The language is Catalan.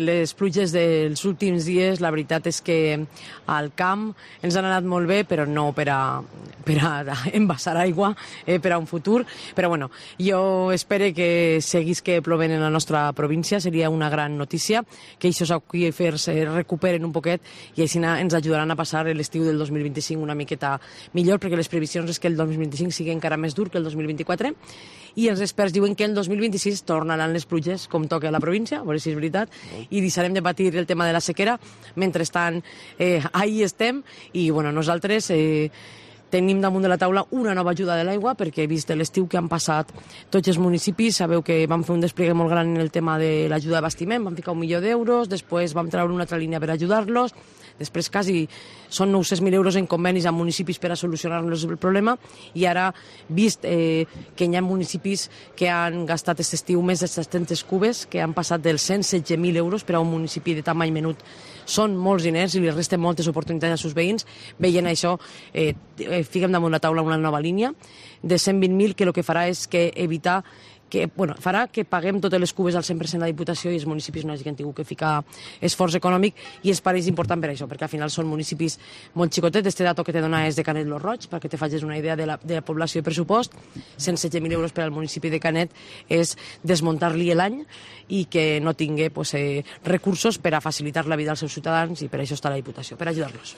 Les pluges dels últims dies, la veritat és que al camp ens han anat molt bé, però no per a envasar aigua per a un futur. Però bueno, jo espero que seguís que plovent en la nostra província, seria una gran notícia, que aquests aqüífers recuperen un poquet i així ens ajudaran a passar l'estiu del 2025 una miqueta millor, perquè les previsions és que el 2025 sigui encara més dur que el 2024, i els experts diuen que el 2026 tornaran les pluges com toca a la província, a veure si és veritat, i deixarem de patir el tema de la sequera. Mentrestant, ahí estem, i bueno, nosaltres tenim damunt de la taula una nova ajuda de l'aigua, perquè he vist l'estiu que han passat tots els municipis. Sabeu que vam fer un despliegue molt gran en el tema de l'ajuda d'abastiment, vam ficar 1 milió d'euros, després vam treure una altra línia per ajudar-los, després quasi són 900.000 euros en convenis amb municipis per a solucionar-los el problema, i ara, vist que hi ha municipis que han gastat aquest estiu més de 700 cubes, que han passat dels 116.000 euros per a un municipi de tamany menut, són molts diners i li resten moltes oportunitats als seus veïns. Veient això, fiquem damunt la taula una nova línia de 120.000, que el que farà és evitar farà que paguem totes les cubes al 100% la Diputació i els municipis no hagin tingut que ficar esforç econòmic, i és per ells important per això, perquè al final són municipis molt xicotets. Este dato que te dona és de Canet lo Roig, perquè te facis una idea de la població i pressupost. 116.000 euros per al municipi de Canet és desmuntar-li l'any i que no tingui recursos per a facilitar la vida als seus ciutadans, i per això està la Diputació, per ajudar-los.